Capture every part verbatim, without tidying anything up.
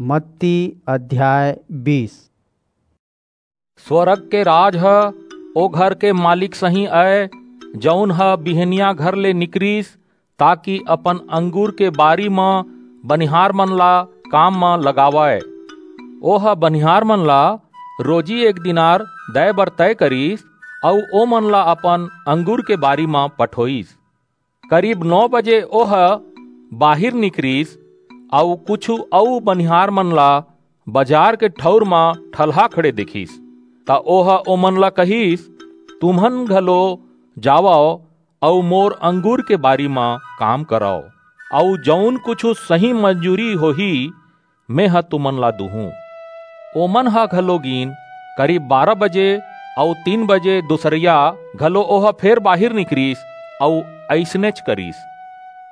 मत्ती अध्याय बीस। स्वर्ग के राज ह ओ घर के मालिक सहीं अय, जऊन ह बिहनिया घर ले निकरिस, ताकि अपन अंगूर के बारी म बनिहार मन ला काम म लगावय। ओह बनिहार मन ला रोजी एक दिनार दय बर तय करिस, अऊ ओमन ला अपन अंगूर के बारी म पठोईस। करीब नौ बजे ओह बाहिर निकरिस, अऊ कुछू अऊ बनिहार मन ला बजार के ठऊर म ठलहा खड़े देखिस। त ओह ओमन ला कहिस, "तुमन घलो जावव अऊ मोर अंगूर के बारी म काम करव, अऊ जऊन कुछू सही मजूरी होही, मेंह तुमन ला दूहूं।" ओमन ह घलो गीन। करीब बारह बजे अऊ तीन बजे दूसरिया घलो ओह फेर बाहिर निकरिस अऊ अइसनेच करिस।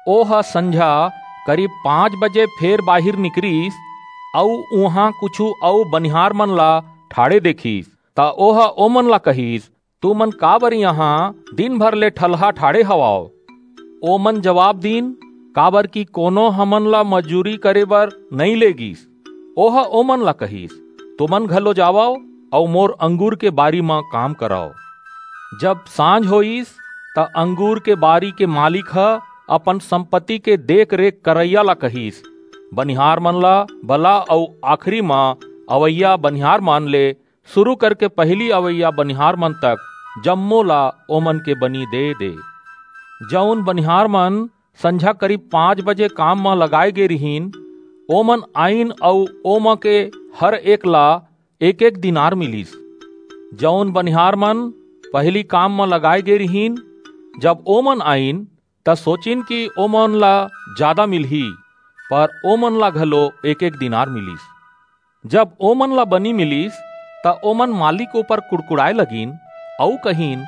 ओह संझा करीब पांच बजे फेर बाहिर निकरिस, अऊ उहां कुछू अऊ बनिहार मन ला ठाढ़े देखिस। त ओह ओमन ला कहिस, "तुमन काबर इहां दिन भर ले ठलहा ठाढ़े हवव?" ओमन जबाब दीन, "काबरकि कोनो हमन ला मजूरी करे बर नइं ले गीस।" ओह ओमन ला कहिस, "तुमन घलो जावव अऊ मोर अंगूर के बारी म काम करव।" जब सांझ होईस, त अंगूर के बारी के मालिक ह अपन संपत्ति के देख-रेख करइया ला कहिस, "बनिहार मन ला बला अऊ आखिरी म अवइया बनिहार मन ले सुरू करके पहिली अवइया बनिहार मन तक जम्मो ला ओमन के बनी दे दे।" जऊन बनिहार मन संझा करीब पांच बजे काम म लगाय गे रिहिन, ओमन आईन अऊ ओमा के हर एक ला एक-एक दिनार मिलिस। जऊन बनिहार मन पहिली काम म लगाय गे रिहिन, जब ओमन आईन, त सोचिन कि ओमन ला जादा मिलही, पर ओमन ला घलो एक-एक दिनार मिलिस। जब ओमन ला बनी मिलिस, त ओमन मालिक ऊपर कुड़कुड़ाय लगिन अऊ कहिन,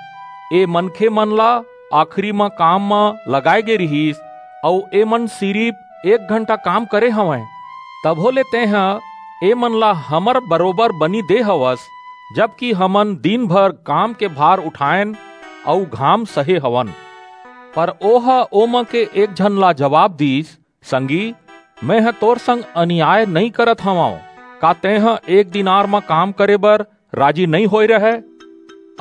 "ए मनखे मन ला आखिरी म काम म लगाय गे रिहिस, अऊ एमन सिरिप एक घंटा काम करे हवंय, तभो ले तेंह एमन ला हमर बरोबर बनी दे हवस, जबकि हमन दिन भर काम के भार उठायन अऊ घाम सहे हवन।" पर ओह ओमा के एक झन ला जबाब दीस, "संगी, मेंह तोर संग अनियाय नइं करत हवंव। का तेंह एक दिनार म काम करे बर राजी नइं होय रहय?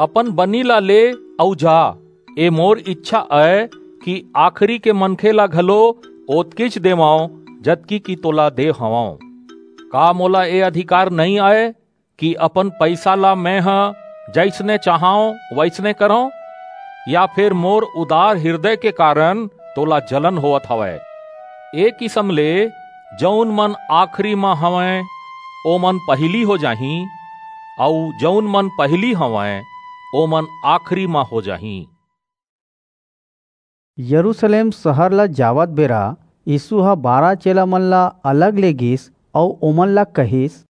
अपन बनी ला ले अऊ जा। ए मोर इच्छा अय कि आखिरी के मनखे ला घलो ओतकीच देवंव, जतकी कि तोला दे हवंव। का मोला ए अधिकार नइं अय कि अपन पईसा ला मेंह जइसने चाहंव, वइसने करंव? या फेर मोर उदार हिरदय के कारन तोला जलन होवत हवय?" ए किसम ले जऊन मन आखिरी म हवंय, ओमन पहिली हो जाहीं, अऊ जऊन मन पहिली हवंय, ओमन आखिरी म हो जाहीं। यरूसलेम सहर ल जावत बेरा यीसू ह बारह चेला मन ल अलग ले गीस अऊ ओमन ल कहिस,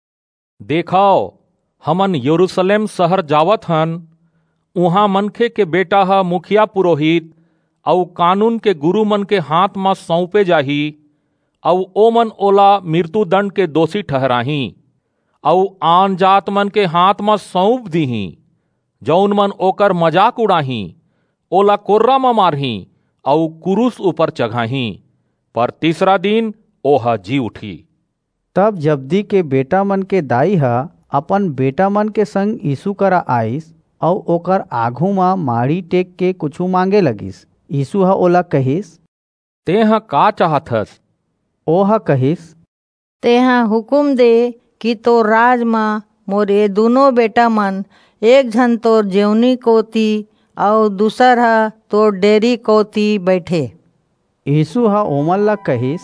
"देखव, हमन यरूसलेम सहर जावत हन, उहां मनखे के बेटा ह मुखिया पुरोहित अऊ कानून के गुरू मन के हांथ म सऊंपे जाही, अऊ ओमन ओला मिरतू दंड के दोसी ठहराहीं, अऊ आनजात मन के हांथ म सऊंप दीहीं, जऊन मन ओकर मजाक उड़ाहीं, ओला कोर्रा म मारहीं अऊ कुरूस ऊपर चघाहीं, पर तीसरा दिन ओह जी उठही।" तब जब्दी के बेटा मन के दाई ह अपन बेटा मन के संग यीसू करा आईस अऊ ओकर आघू म माड़ी टेक के कुछू मांगे लगिस। यीसू ह ओला कहिस, "तेंह का चाहत हस?" ओह कहिस, "तेंह हुकूम दे कि तोर राज म मोर ए दूनों बेटा मन, एक झन तोर जेवनी कोति अऊ दूसर ह तोर डेरी कोति बईठे।" यीसू ह ओमन ला कहिस,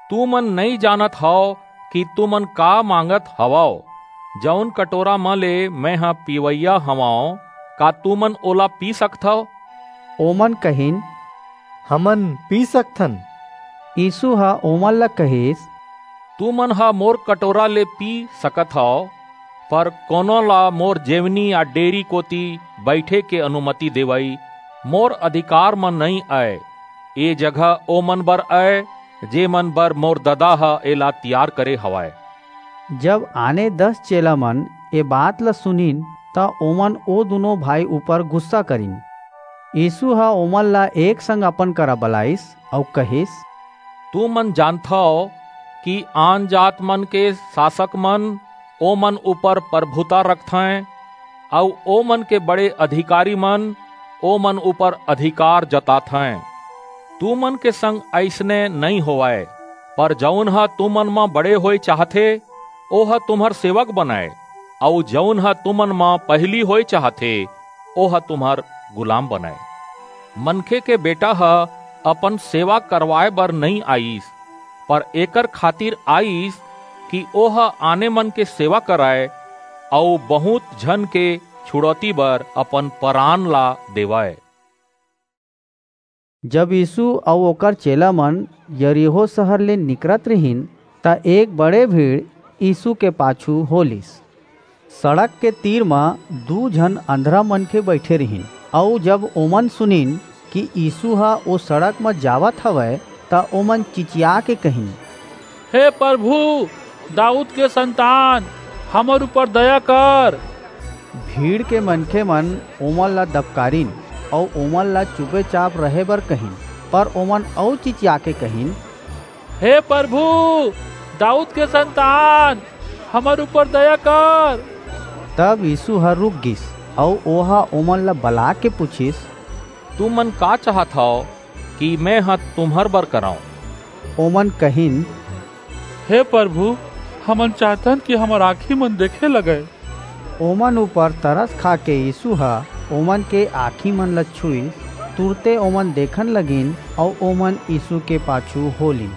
"तुमन नइं जानत हव कि तुमन का मांगत हवव। जऊन कटोरा म ले मेंह पीवइया हवंव, का तुमन ओला पी सकथव?" ओमन कहिन, "हमन पी सकथन।" यीसू ह ओमन ला कहिस, "तुमन ह मोर कटोरा ले पी सकत हव, पर कोनो ला मोर जेवनी या डेरी कोति बईठे के अनुमति देवई मोर अधिकार म नइं अय। ए जगह ओमन बर अय, जेमन बर मोर ददा ह एला तियार करे हवय।" जब आने दस चेला मन ए बात ल सुनिन, त ओमन ओ दूनों भाई ऊपर गुस्सा करिन। यीसू ह ओमन ला एक संग अपन करा बलाईस अऊ कहिस, "तुमन जानथव कि आन जात मन के शासक मन ओमन ऊपर प्रभुता रखथें, अऊ ओमन के बड़े अधिकारी मन ओमन ऊपर अधिकार जताथें। तुमन के संग अइसने नइं होवय, पर जऊन ह तुमन म बड़े होय चाहथे, ओह तुम्हर सेवक बनय, अऊ जऊन ह तुमन म पहिली होय चाहथे, ओह तुम्हर गुलाम बनय। मनखे के बेटा ह अपन सेवा करवाय बर नइं आईस, पर एकर खातिर आईस कि ओह आने मन के सेवा करय अऊ बहुंत झन के छुड़ौती बर अपन परान ला देवय। जब यीसू अऊ ओकर चेलामन यरीहो सहर ले निकरत रिहिन, त एक बड़े भीड़ यीसू के पाछू हो लीस। सड़क के तीर म दू झन अंधरा मनखे बईठे रिहिन, अऊ जब ओमन सुनिन कि यीसू ह ओ सड़क म जावत हवय, त ओमन चिचियाके कहिन, "हे परभू, दाऊद के संतान, हमर ऊपर दया कर।" भीड़ के मनखेमन ओमन ला दबकारिन, अऊ ओमन ला चुपेचाप रहे बर कहिन, पर ओमन अऊ चिचियाके कहिन, "हे परभू, दाऊद के संतान, हमर ऊपर दया कर।" तब यीसू ह रुक गीस, अऊ ओह ओमन ला बलाके पुछिस, "तुमन का चाहत हव कि मेंह तुम्हर बर करंव?" ओमन कहिन, "हे परभू, हमन चाहथन कि हमर आंखीमन देखे लगय।" ओमन ऊपर तरस खाके यीसू ह ओमन के आंखीमन ला छुईस। तुरते ओमन देखन लगिन, अऊ ओमन यीसू के पाछू हो लीन।